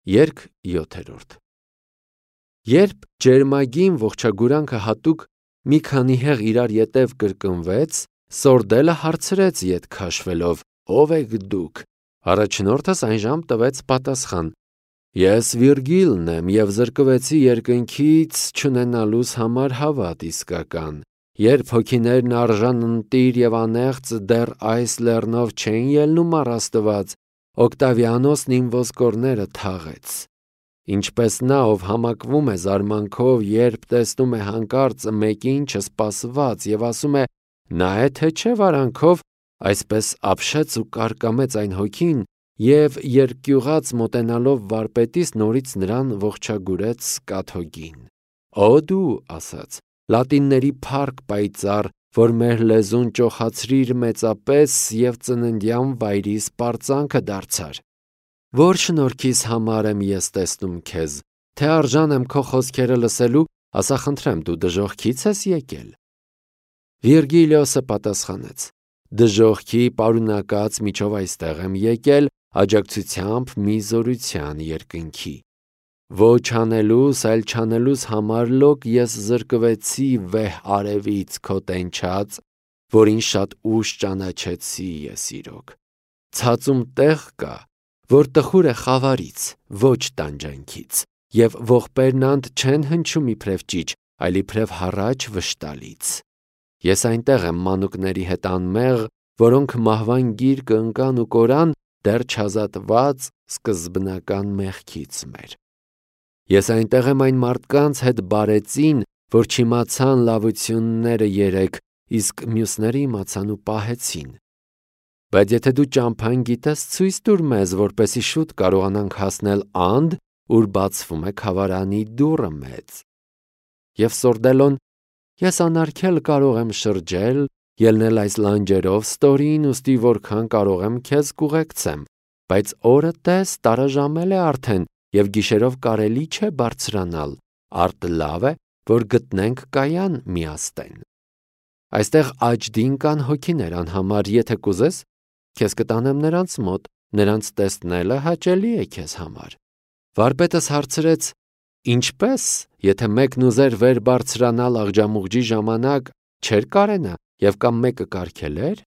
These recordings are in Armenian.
Երգ 7-րդ Երբ ջերմագին ողջագուրանքը հատուկ մի քանի հեղ իրար ետև կրկնվեց, Սորդելը հարցրեց ետ քաշվելով. «Ով եք դուք»։ Առաջնորդս այնժամ տվեց պատասխան. «Ես Վիրգիլն եմ և զրկվեցի երկնքից չունենալուս համար հավատ իսկական։ Երբ հոգիներն արժան ընտիր և անեղծ դեռ այս լեռնով չէին ելնում առ Աստված, Օկտավիանոսն իմ ոսկորները թաղեց։ Ինչպես նա, ով համակվում է զարմանքով, երբ տեսնում է հանկարծ մեկին չսպասված և ասում է. նա է թե չէ վարանքով, այսպես ապշեց ու կարկամեց այն հոգին և երկյուղած մոտենալով վարպետից նորից նրան ողջագուրեց կաթոգին։ Օ դու, ասաց, լատինների փառք պայծառ, որ մեր լեզուն ճոխացրիր մեծապես և ծննդյան վայրիս պարծանքը դարձար։ Որ շնորհքիս համար եմ ես տեսնում քեզ, թե արժան եմ քո խոսքերը լսելու, ասա խնդրեմ, դու դժոխքի՞ց ես եկել։ Վիրգիլիոսը պատասխանեց. Դժոխքի պարունակած միջով այստեղ եմ եկել աջակցությամբ մի զորության երկնքի։ Ոչ անելուս, այլ չանելուս համար լոկ ես զրկվեցի վեհ արևից քո տենչած, որին շատ ուշ ճանաչեցի ես իրոք։ Ցածում տեղ կա, որ տխուր է խավարից, ոչ տանջանքից, և ողբերն անդ չեն հնչում իբրև ճիչ, այլ իբրև հառաչ վշտալից։ Ես այնտեղ եմ մանուկների հետ անմեղ, որոնք մահվան գիրկը ընկան ու կորան, դեռ չազատված սկզբնական մեղքից մեր։ Ես այնտեղ եմ այն մարդկանց հետ բարեցին, որ չիմացան լավությունները երեք, իսկ մյուսները իմացան ու պահեցին։ Բայց եթե դու ճամփան գիտես, ցույց տուր մեզ, որպեսզի շուտ կարողանանք հասնել անդ, ուր բացվում է քավարանի դուռը մեծ։ Եվ Սորդելոն. Ես անարգել կարող եմ շրջել, ելնել այս լանջերով ստորին, ուստի որքան կարող եմ քեզ կուղեկցեմ, բայց օրը տես տարաժամել է արդեն, և գիշերով կարելի չէ բարձրանալ, արդ լավ է, որ գտնենք կայան միաստեն։ Այստեղ աջդին կան հոգիներ անհամար, եթե կուզես, քեզ կտանեմ նրանց մոտ, նրանց տեսնելը հաճելի է քեզ համար։ Վարպետս հարցրեց. Ինչպես, եթե մեկն ուզեր վեր բարձրանալ աղջամուղջի ժամանակ, չէր կարենա, և կամ մեկը կարգելեր։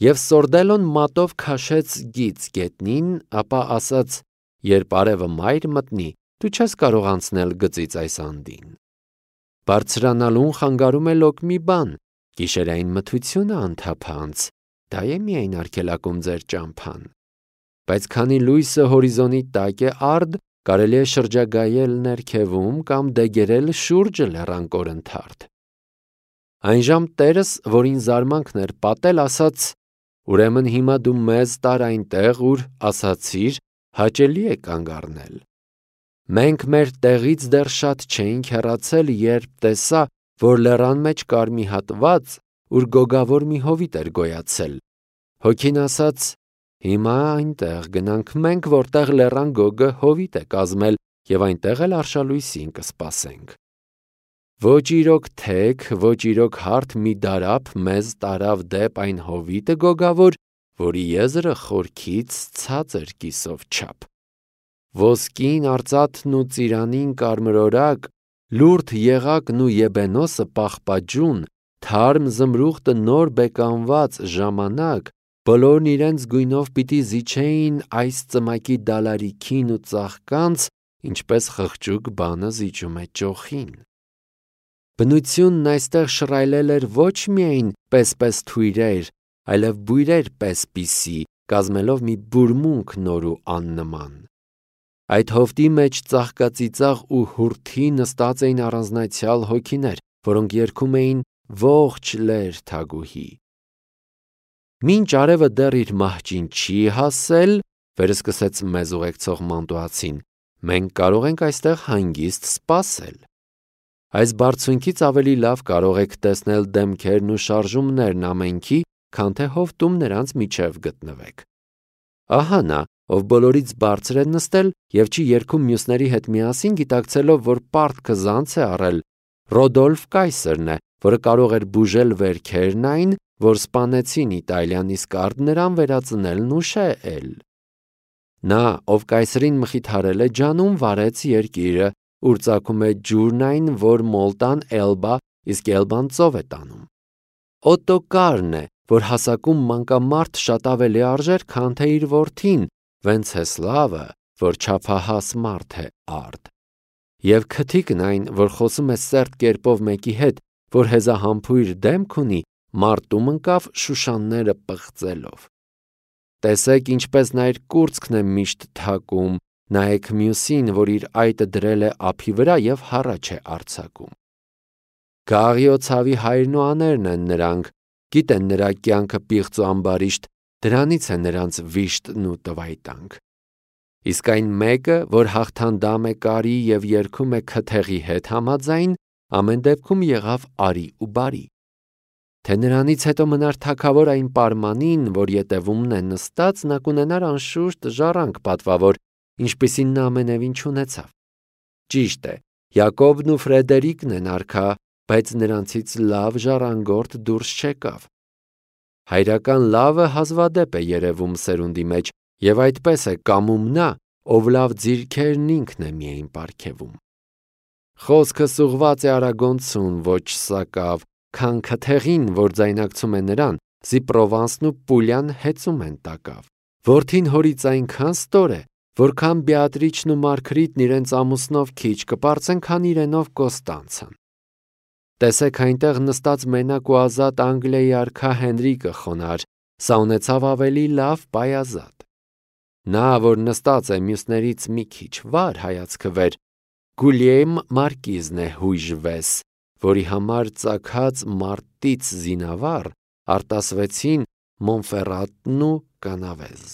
Եվ Սորդելոն մատով քաշեց գիծ գետնին, ապա ասաց. երբ արևը մայր մտնի, դու չես կարող անցնել գծից այս անդին։ Բարձրանալուն խանգարում է լոկ մի բան, գիշերային մթությունը անթափանց, դա է միայն արգելակում ձեր ճամփան։ Բայց քանի լույսը հորիզոնի տակ է արդ, կարելի է շրջագայել ներքևում կամ դեգերել շուրջը լեռան կորընթարդ։ Այնժամ տերս, որին զարմանքն էր պատել, ասաց. ուրեմն հիմա դու մեզ տար այնտեղ, ուր ասացիր, հաճելի է կանգ առնել։ Մենք մեր տեղից դեռ շատ չէինք հեռացել, երբ տեսա, որ լեռան մեջ կար մի հատված, ուր գոգավոր մի հովիտ էր գոյացել։ Հոգին ասաց. հիմա այնտեղ գնանք մենք, որտեղ լեռան գոգը հովիտ է կազմել, և այնտեղ էլ արշալույսին կսպասենք։ Ոչ իրոք թեք, ոչ իրոք հարթ մի դարափ մեզ տարավ դեպ այն հովիտը գոգավոր, որի եզրը խորքից ցածր կիսով չափ։ Ոսկին, արծաթն ու ծիրանին կարմրորակ, լուրջ եղակն ու եբենոսը պաղպաջուն, թարմ զմրուխտը նոր բեկանված ժամանակ, բոլորն իրենց գույնով պիտի զիջեին այս ծմակի դալարիքին ու ծաղկանց, ինչպես խղճուկ բանը զիջում է ճոխին։ Բնությունն այստեղ շռայլել էր ոչ միայն պես-պես թույրեր, այլև բույրեր պես-պիսի, կազմելով մի բուրմունք նոր ու աննման։ Այդ հովտի մեջ ծաղկածիծաղ ու հուրթի նստած էին առանձնացյալ հոգիներ, որոնք երգում էին ողջ լեր թագուհի։ Մինչ արևը դեռ իր մահճին չի հասել, վերսկսեց մեզ ուղեկցող մանտուացին, մենք կարող ենք այստեղ հանգիստ սպասել։ Այս բարձունքից ավելի լավ կարող եք տեսնել դեմքերն ու շարժումներն ամենքի, քան թե հովտում նրանց միջև գտնվեք։ Ահա նա, ով բոլորից բարձր է նստել և չի երգում մյուսների հետ միասին, գիտակցելով, որ պարտքը զանց է առել, Ռոդոլֆ կայսրն է, որը կարող էր բուժել վերքերն այն, որ սպանեցին Իտալիան, իսկ արդ նրան վերածնելն ուշ է էլ։ Նա, ով կայսրին մխիթարել է, ջանում վարեց երկիրը, ուր ծագում է ջուրն այն, որ Մոլտան Էլբա, իսկ Էլբան ծով է տանում։ Օտոկարն է, որ հասակում մանկամարդ շատ ավելի արժեր, քան թե իր որդին, Վենցեսլավը, որ չափահաս մարդ է արդ։ Եվ քթիկն այն, որ խոսում է սերտ կերպով մեկի հետ, որ հեզահամբույր դեմք ունի, մարտում ընկավ շուշանները պղծելով։ Տեսեք, ինչպես նա իր կուրծքն է միշտ թակում, նայեք մյուսին, որ իր այտը դրել է ափի վրա և հառաչ է արձակում։ Գաղիո ցավի հայրն ու աներն են նրանք, գիտեն նրա կյանքը պիղծ ու ամբարիշտ, դրանից է նրանց վիշտն ու տվայտանք։ Իսկ այն մեկը, որ հաղթանդամ է կարի և երգում է քթեղի հետ համաձայն, ամեն դեպքում եղավ արի ու բարի։ Թե նրանից հետո մնար թագավոր այն պարմանին, որ ետևումն է նստած, նա կունենար անշուշտ ժառանգ պատվավոր, ինչպիսին նա ամենևին չունեցավ։ Ճիշտ է, Յակոբն ու Ֆրեդերիկն են արքա, բայց նրանցից լավ ժառանգորդ դուրս չեկավ։ Հայրական լավը հազվադեպ է երևում սերունդի մեջ, և այդպես է կամում նա, ով լավ ձիրքերն ինքն է միայն պարգևում։ Խոսքս ուղղված է Արագոնցուն, ոչ սակավ, քան քթեղին, որ ձայնակցում է նրան, զի Պրովանսն ու Պուլյան հեծում են տակավ։ Որդին հորից այնքան ստոր է, որքան Բեատրիչն ու Մարգրիտն իրենց ամուսնով քիչ կպարծեն, քան իրենով Կոստանցան։ Տեսեք այնտեղ նստած մենակ ու ազատ Անգլիայի արքա Հենրիկը խոնար, սա ունեցավ ավելի լավ պայազատ։ Նա, որ նստած է մյուսներից մի քիչ վար հայացքը վեր, Գուլիեմ մարկիզն է հույժվես, որի համար ծագած մարտից զինավառ արտասվեցին Մոնֆերատն ու Կանավեզ։